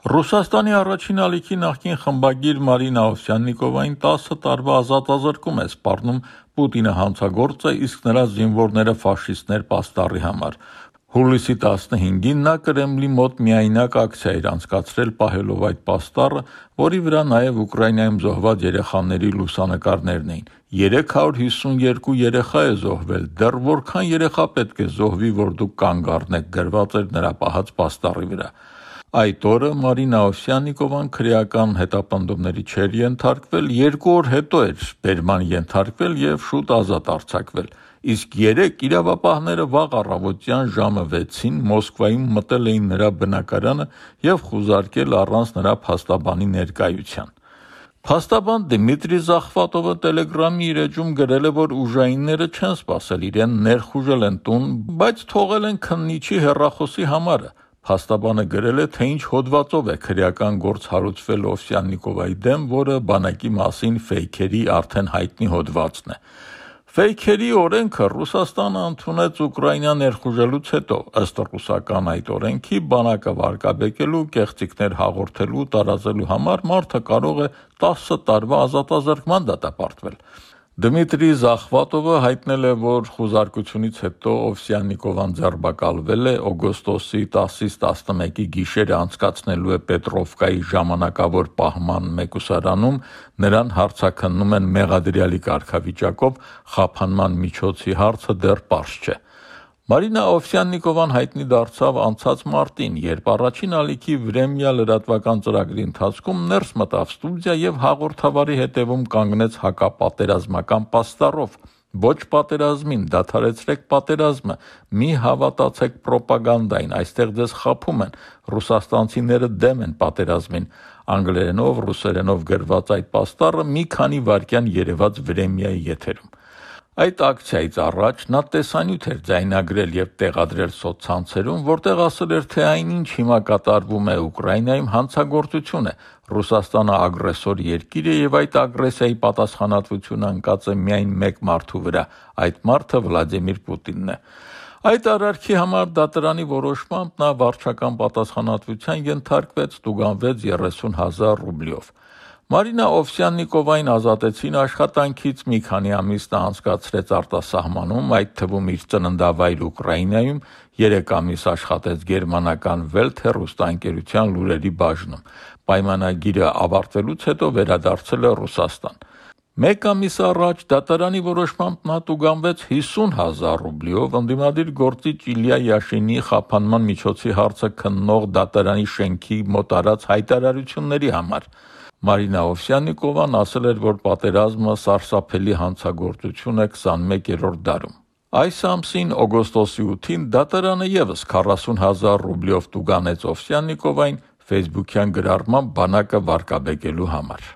Ռուսաստանի առաջին ալիքի նախկին խմբագիր Մարինա Օվսյաննիկովային 10 տարվա ազատազրկում է սպառնում Պուտինը հանցագործ է, իսկ նրա զինվորները ֆաշիստներ պաստառի համար։ Հուլիսի 15-ին նա Կրեմլի մոտ միայնակ ակցիա էր անցկացրել պահելով այդ պաստառը, որի վրա նաև Ուկրաինայում զոհված երեխաների լուսանկարներն էին։ 352 երեխա է զոհվել, դեռ որքան երեխա պետք է զոհվի, որ դուք կանգ առնեք, գրված էր նրա պահած պաստառի վրա։ Այդ օրը Մարինա Օվսյաննիկովան քրեական հետապնդումների չէր ենթարկվել, 2 օր հետո էր բերման ենթարկվել և շուտ ազատ արձակվել, իսկ 3 իրավապահները վաղ առավոտյան ժամը 6-ին Մոսկվայում մտել էին նրա բնակարանը և խուզարկել առանց նրա փաստաբանի ներկայության։ Փաստաբան Դմիտրի Զախվատովը Տելեգրամի իր էջում գրել է, որ ուժայինները չեն սպասել իրեն, ներխուժել են տուն, բայց թողել են քննիչի հեռախոսի համարը։ Փաստաբանը գրել է, թե ինչ հոդվածով է քրեական գործ հարուցվել Օվսյաննիկովայի դեմ, որը բանակի մասին ֆեյքերի արդեն հայտնի հոդվածն է։ Ֆեյքերի օրենքը Ռուսաստանը ընդունեց Ուկրաինա ներխուժելուց հետո, ըստ ռուսական այդ օրենքի, բանակը վարկաբեկելու, կեղծիքներ հաղորդելու, տարածելու համար մարդը կարող է 10 տարվա ազատազրկման դատապարտվել։ Դմիտրի Զախվատովը հայտնել է, որ խուզարկությունից հետո Օվսյաննիկովան ձերբակալվել է, օգոստոսի 10-ից 11-ի գիշերը անցկացնելու է Պետրովկայի ժամանակավոր պահման մեկուսարանում, նրան հարցաքննում են մեղադրյալի կարգավիճակով, խափանման միջոցի հարցը դեռ պարզ չէ։ Մարինա Օվսյաննիկովան հայտնի դարձավ անցած մարտին, երբ առաջին ալիքի Վրեմյա լրատվական ծրագրի ընթացքում ներս մտավ ստուդիա և հաղորդավարի հետևում կանգնեց հակապատերազմական պաստառով. «Ոչ պատերազմին, դադարեցրեք պատերազմը, մի հավատացեք պրոպագանդային, այստեղ ձեզ խաբում են, ռուսաստանցիները դեմ են պատերազմին»։ Անգլերենով, ռուսերենով գրված այդ պաստառը մի քանի վայրկյան երևաց Վրեմյայի եթերում։ Այդ ակցիայից առաջ նա տեսանյութ էր ձայնագրել և տեղադրել սոցցանցերում, որտեղ ասել էր, թե այնինչ հիմա կատարվում է Ուկրաինայում հանցագործություն է, Ռուսաստանը ագրեսոր երկիր է և այդ ագրեսիայի պատասխանատվությունը ընկած է միայն մեկ մարդու վրա, այդ մարդը Վլադիմիր Պուտինն է։ Այդ արարքի համար դատարանի որոշմամբ նա վարչական պատասխանատվության ենթարկվեց, տուգանվեց 30,000 ռուբլյով։ Մարինա Օվսյաննիկովային ազատեցին աշխատանքից, մի քանի ամիս նա անցկացրեց արտասահմանում, այդ թվում իր ծննդավայր Ուկրաինայում, 3 ամիս աշխատեց գերմանական Welt հեռուստաընկերության լուրերի բաժնում։ Պայմանագիրը ավարտվելուց հետո վերադարձել է Ռուսաստան։ Մեկ ամիս առաջ դատարանի որոշմամբ նա տուգանվեց 50,000 ռուբլյով ընդդիմադիր գործիչ Իլյա Յաշինի խափանման միջոցի հարցը քննող դատարանի շենքի մոտ արած հայտարարությունների համար։ Մարինա Օվսյաննիկովան ասել էր, որ պատերազմը սարսափելի հանցագործություն է 21-րդ դարում։ Այս ամսին օգոստոսի 8-ին դատարանը ևս 40,000 ռուբլյով տուգանեց Օվսյաննիկովային ֆեյսբուքյան գրառմամբ բանակը վարկաբեկելու համար։